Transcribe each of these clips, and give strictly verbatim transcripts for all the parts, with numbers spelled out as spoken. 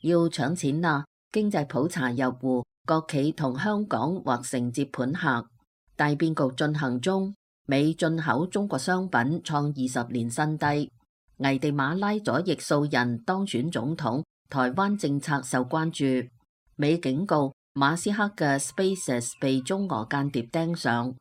要搶錢啦！經濟普查入戶，國企同香港或承接盤客。大變局進行中，美進口中國商品創二十年新低。危地馬拉左翼素人當選總統，台灣政策受關注。美警告馬斯克嘅 SpaceX 被中俄間諜盯上。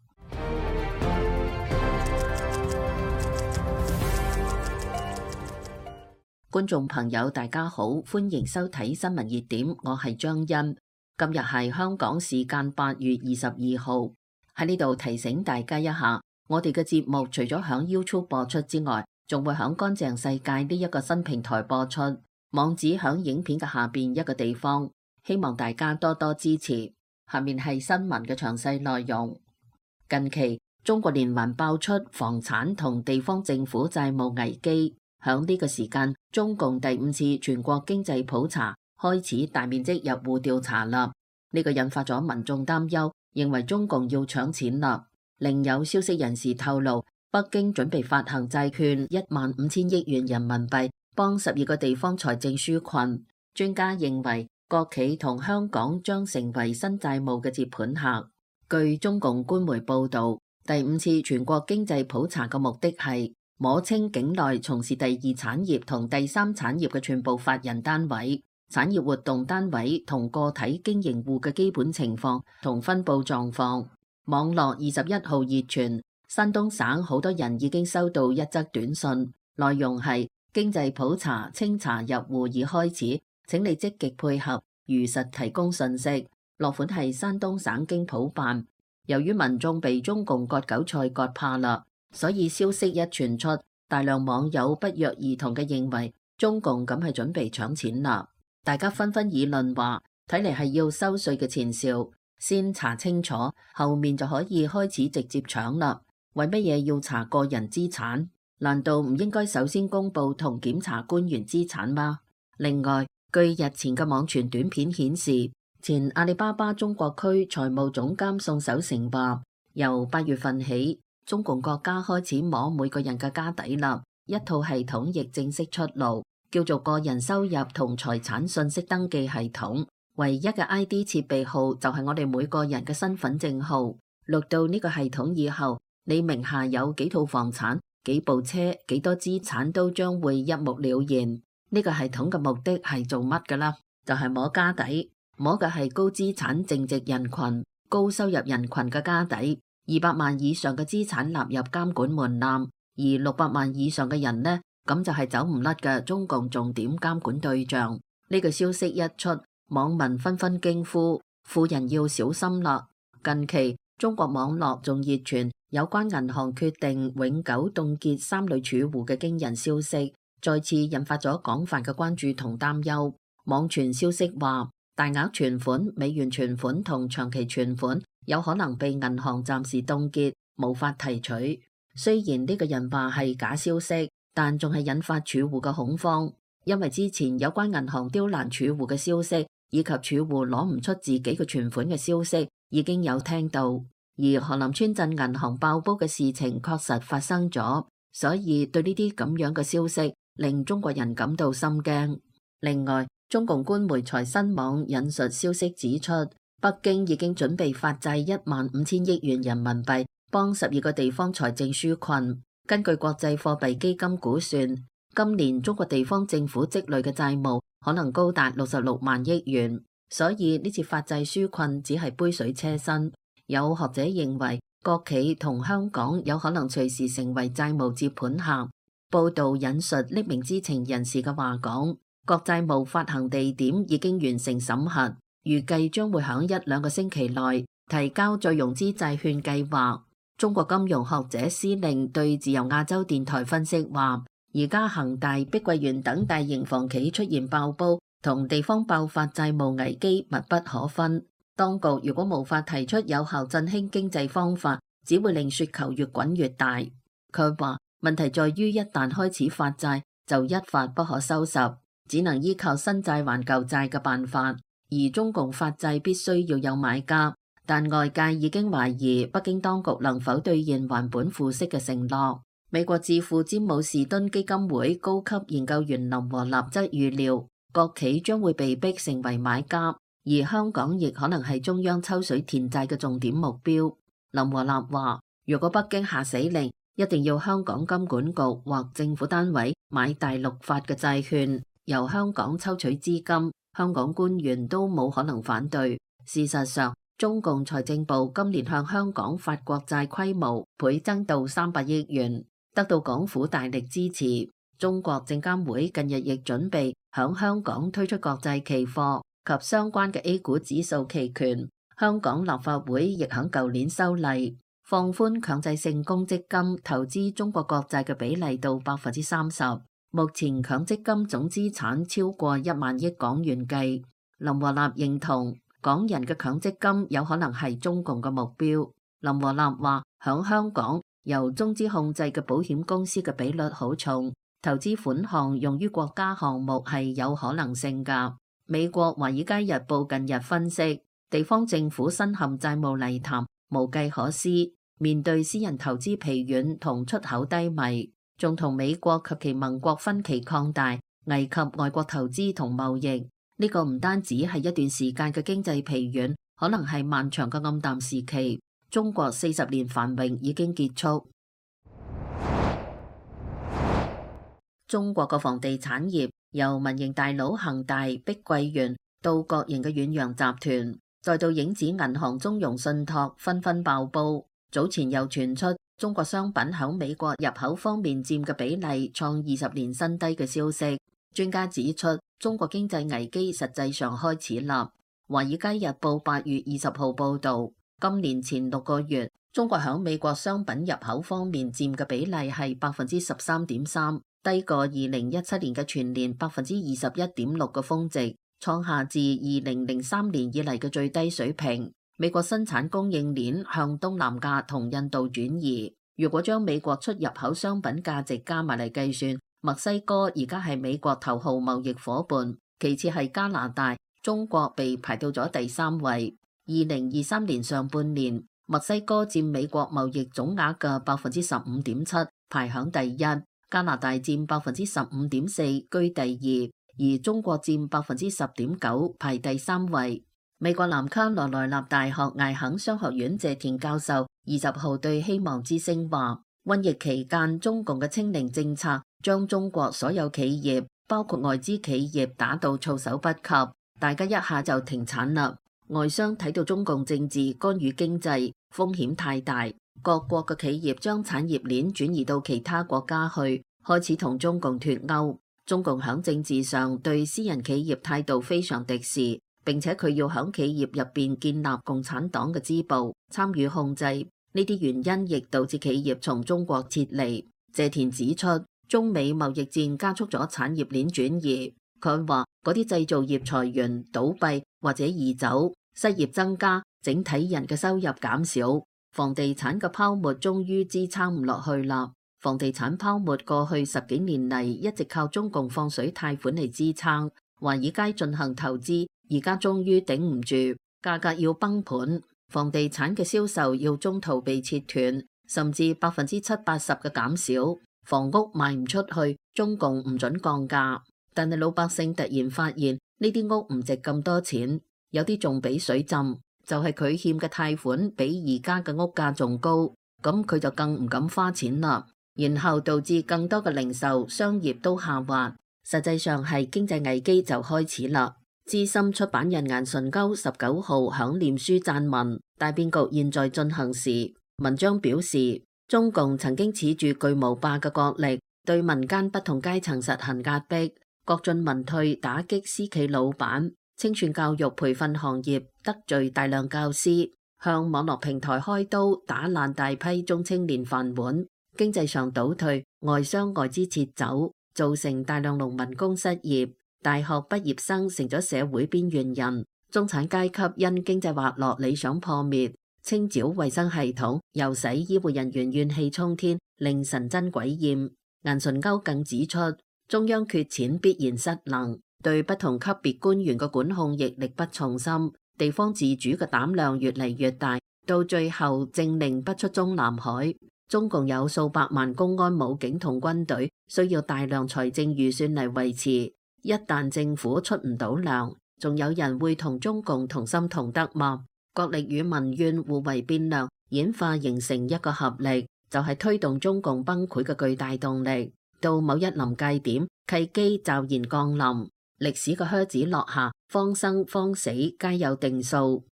觀眾朋友大家好，歡迎收睇新聞熱點，我係張欣。今日係香港時間八月二十二號，喺呢度提醒大家一下，我哋嘅節目除咗響 YouTube 播出之外，仲會響乾淨世界呢一個新平台播出，網址響影片嘅下邊一個地方，希望大家多多支持。下面係新聞嘅詳細內容。近期中國連環爆出房產同地方政府債務危機。響呢個時間，中共第五次全國經濟普查開始大面積入戶調查啦。呢個引發咗民眾擔憂，認為中共要搶錢啦。另有消息人士透露，北京準備發行債券一萬五千億元人民幣，幫十二個地方財政紓困。專家認為，國企同香港將成為新債務嘅接盤客。據中共官媒報導，第五次全國經濟普查嘅目的係摸清境內從事第二產業同第三產業嘅全部法人單位、產業活動單位同個體經營戶嘅基本情況同分佈狀況。網絡二十一號熱傳，山東省好多人已經收到一則短信，內容係經濟普查清查入戶已開始，請你積極配合，如實提供信息。落款係山東省經普辦。由於民眾被中共割韭菜割怕啦，所以消息一傳出，大量網友不約而同嘅認為中共咁係準備搶錢啦。大家紛紛議論話，睇嚟係要收稅嘅前兆，先查清楚，後面就可以開始直接搶啦。為乜嘢要查個人資產？難道唔應該首先公布同檢查官員資產嗎？另外，據日前嘅網傳短片顯示，前阿里巴巴中國區財務總監宋守成話，由八月份起，中共國家開始摸每個人嘅家底啦，一套系統亦正式出爐，叫做個人收入同財產信息登記系統。唯一嘅 I D 設備號就係我哋每個人嘅身份證號。錄到呢個系統以後，你名下有幾套房產、幾部車、幾多資產都將會一目了然。呢個系統嘅目的係做乜㗎啦？就係摸家底，摸嘅係高資產淨值人群、高收入人群嘅家底。二百萬以上嘅資產納入監管門檻，而六百萬以上嘅人呢，咁就係走唔甩嘅中共重點監管對象。呢個消息一出，網民紛紛驚呼：富人要小心啦！近期中國網絡仲熱傳有關銀行決定永久凍結三類儲戶嘅驚人消息，再次引發咗廣泛嘅關注同擔憂。網傳消息話，大額存款、美元存款同長期存款有可能被銀行暫時凍結，無法提取。雖然呢個人話係假消息，但仲係引發儲戶嘅恐慌，因為之前有關銀行刁難儲戶嘅消息，以及儲戶攞唔出自己嘅存款嘅消息，已經有聽到。而河南村鎮銀行爆煲嘅事情確實發生咗，所以對呢啲咁樣嘅消息，令中國人感到心驚。另外，中共官媒財新網引述消息指出，北京已經準備發債一萬五千億元人民幣，幫十二個地方財政紓困。根據國際貨幣基金估算，今年中國地方政府積累嘅債務可能高達六十六萬億元，所以呢次發債紓困只係杯水車薪。有學者認為，國企同香港有可能隨時成為債務接盤客。報道引述匿名知情人士嘅話講，國債務發行地點已經完成審核，預計將會響一兩個星期內提交再融資債券計劃。中國金融學者施令對自由亞洲電台分析話，而家恒大、碧桂園等大型房企出現爆煲，同地方爆發債務危機密不可分。當局如果無法提出有效振興經濟方法，只會令雪球越滾越大。佢話問題在於一旦開始發債，就一發不可收拾，只能依靠新債還舊債嘅辦法。而中共發債必須要有買家，但外界已經懷疑北京當局能否兌現還本付息嘅承諾。美國智庫詹姆士敦基金會高級研究員林和立則預料，國企將會被逼成為買家，而香港亦可能係中央抽水填債嘅重點目標。林和立話，如果北京下死令，一定要香港金管局或政府單位買大陸發嘅債券，由香港抽取資金，香港官員都冇可能反對。事實上，中共財政部今年向香港發國債規模倍增到三百億元，得到港府大力支持。中國證監會近日亦準備響香港推出國債期貨及相關嘅 A 股指數期權。香港立法會亦響舊年修例，放寬強制性公積金投資中國國債嘅比例到百分之三十。目前強積金總資產超過一萬億港元計。林和立認同港人嘅強積金有可能係中共嘅目標。林和立話，響香港由中資控制嘅保險公司嘅比率好重，投資款項用於國家項目係有可能性㗎。美國華爾街日報近日分析，地方政府身陷債務泥潭，無計可施，面對私人投資疲軟同出口低迷，仲同美國及其盟國分歧擴大，危及外國投資同貿易。呢個唔單止係一段時間嘅經濟疲軟，可能係漫長嘅暗淡時期。中國四十年繁榮已經結束。中國嘅房地產業由民營大佬恒大、碧桂園到國營嘅遠洋集團，再到影子銀行中融信託紛紛爆煲。早前又傳出中國商品響美國入口方面佔嘅比例創二十年新低嘅消息。專家指出，中國經濟危機實際上開始啦。華爾街日報八月二十號報道，今年前六個月，中國響美國商品入口方面佔嘅比例係百分之十三點三，低過二零一七年嘅全年百分之二十一點六嘅峰值，創下自二零零三年以嚟嘅最低水平。美國生產供應鏈向東南亞同印度轉移。如果將美國出入口商品價值加埋嚟計算，墨西哥而家係美國頭號貿易夥伴，其次係加拿大，中國被排到咗第三位。二零二三年上半年，墨西哥佔美國貿易總額嘅百分之十五點七，排響第一；加拿大佔百分之十五點四，居第二，而中國佔百分之十點九，排第三位。美國南卡羅來納大學艾肯商學院謝田教授二十號對希望之聲話，瘟疫期間中共嘅清零政策將中國所有企業，包括外資企業打到措手不及，大家一下就停產啦。外商睇到中共政治干預經濟風險太大，各國嘅企業將產業鏈轉移到其他國家去，開始同中共脫鈎。中共響政治上對私人企業態度非常敵視，並且佢要響企業入邊建立共產黨嘅支部，參與控制。呢啲原因亦導致企業從中國撤離。謝田指出，中美貿易戰加速咗產業鏈轉移。佢話嗰啲製造業裁員、倒閉或者移走，失業增加，整體人嘅收入減少，房地產嘅泡沫終於支撐唔落去啦。房地產泡沫過去十幾年嚟一直靠中共放水貸款嚟支撐，華爾街進行投資，而家終於頂唔住，價格要崩盤，房地產嘅銷售要中途被切斷，甚至百分之七八十嘅減少，房屋賣唔出去，中共唔准降價。但係老百姓突然發現呢啲屋唔值咁多錢，有啲仲俾水浸，就係佢欠嘅貸款比而家嘅屋價仲高，咁佢就更唔敢花錢啦。然後導致更多嘅零售商業都下滑，實際上係經濟危機就開始啦。資深出版人顏純鈎十九號響臉書撰文，大變局現在進行時。文章表示，中共曾經恃住巨無霸嘅國力，對民間不同階層實行壓迫，國進民退，打擊私企老闆，清算教育培訓行業，得罪大量教師，向網絡平台開刀，打爛大批中青年飯碗。經濟上倒退，外商外資撤走，造成大量農民工失業，大學畢業生成咗社會邊緣人，中產階級因經濟滑落理想破滅，清剿衛生系統又使醫護人員怨氣沖天，令神憎鬼厭。顏純鈎更指出，中央缺錢必然失能，對不同級別官員嘅管控亦力不從心，地方自主嘅膽量越嚟越大，到最後政令不出中南海。中共有數百萬公安武警同軍隊，需要大量財政預算嚟維持。一旦政府出唔到糧，仲有人會同中共同心同德嗎？國力與民怨互為變量，演化形成一個合力，就係推動中共崩潰嘅巨大動力。到某一臨界點，契機驟然降臨，歷史嘅靴子落下，方生方死皆有定數。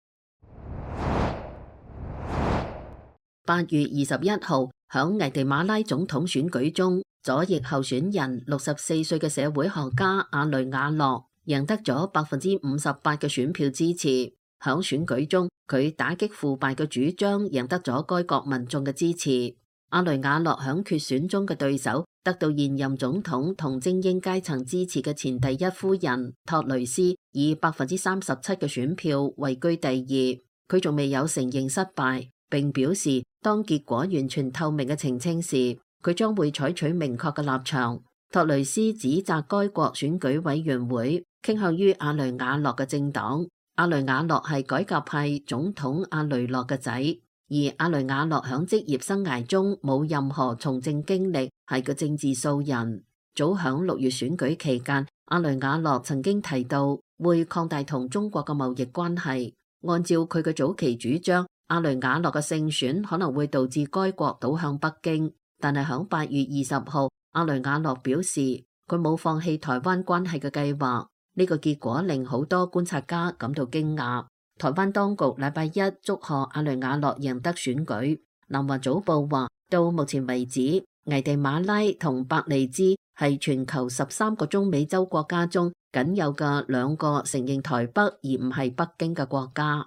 八月二十一號，響危地馬拉總統選舉中，左翼候選人六十四歲嘅社會學家阿雷瓦洛贏得咗百分之五十八嘅選票支持。響選舉中，佢打擊腐敗嘅主張贏得咗該國民眾嘅支持。阿雷瓦洛響決選中嘅對手，得到現任總統同精英階層支持嘅前第一夫人托雷斯以百分之三十七嘅選票位居第二。佢仲未有承認失敗，並表示當結果完全透明嘅澄清時，佢將會採取明確嘅立場。托雷斯指責該國選舉委員會傾向於阿雷瓦洛嘅政黨。阿雷瓦洛係改革派總統阿雷諾嘅仔，而阿雷瓦洛響職業生涯中冇任何從政經歷，係個政治素人。早響六月選舉期間，阿雷瓦洛曾經提到會擴大同中國嘅貿易關係。按照佢嘅早期主張，阿雷瓦洛嘅勝選可能會導致該國倒向北京。但係響八月二十號，阿雷瓦洛表示佢冇放棄台灣關係嘅計劃。呢個結果令好多觀察家感到驚訝。台灣當局禮拜一祝賀阿雷瓦洛贏得選舉。南華早報話，到目前為止，危地馬拉同伯利茲係全球十三個中美洲國家中僅有嘅兩個承認台北而唔係北京嘅國家。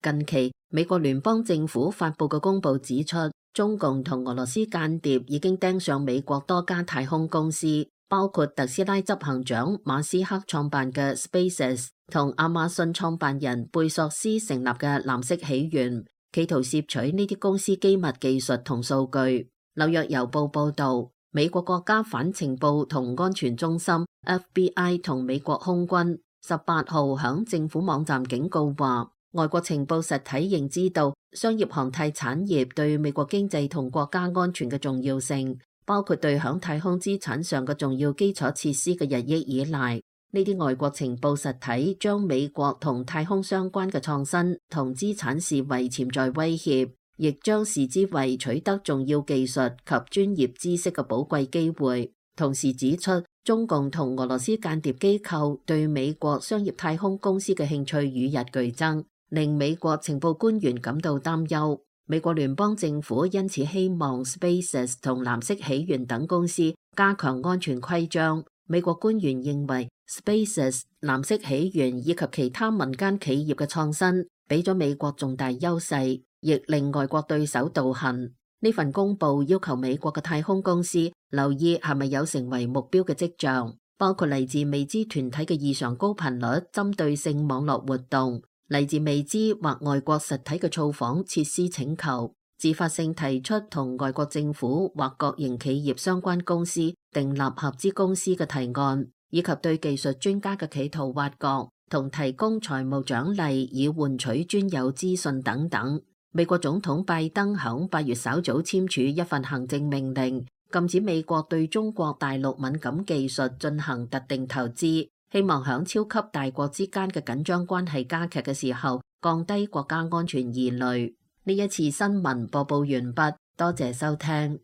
近期，美國聯邦政府發佈嘅公報指出，中共同俄羅斯間諜已經盯上美國多家太空公司，包括特斯拉執行長馬斯克創辦嘅 SpaceX 同亞馬遜創辦人貝索斯成立嘅藍色起源，企圖攝取呢啲公司機密技術同數據。紐約郵報報道，美國國家反情報同安全中心 F B I 同美國空軍十八號響政府網站警告話，外國情報實體認知到商業航太產業對美國經濟同國家安全嘅重要性，包括對響太空資產上嘅重要基礎設施嘅日益依賴。呢啲外國情報實體將美國同太空相關嘅創新同資產視為潛在威脅，亦將視之為取得重要技術及專業知識嘅寶貴機會。同時指出，中共同俄羅斯間諜機構對美國商業太空公司嘅興趣與日俱增，令美國情報官員感到擔憂。美國聯邦政府因此希望 SpaceX 同藍色起源等公司加強安全規章。美國官員認為 SpaceX、藍色起源以及其他民間企業嘅創新俾咗美國重大優勢，亦令外國對手道行。呢份公報要求美國嘅太空公司留意係咪有成為目標嘅跡象，包括嚟自未知團體嘅異常高頻率針對性網絡活動，嚟自未知或外國實體嘅造訪設施請求，自發性提出同外國政府或國營企業相關公司訂立合資公司嘅提案，以及對技術專家嘅企圖挖角同提供財務獎勵以換取專有資訊等等。美國總統拜登響八月稍早簽署一份行政命令，禁止美國對中國大陸敏感技術進行特定投資，希望響超級大國之間嘅緊張關係加劇嘅時候，降低國家安全疑慮。呢一次新聞播報完畢，多謝收聽。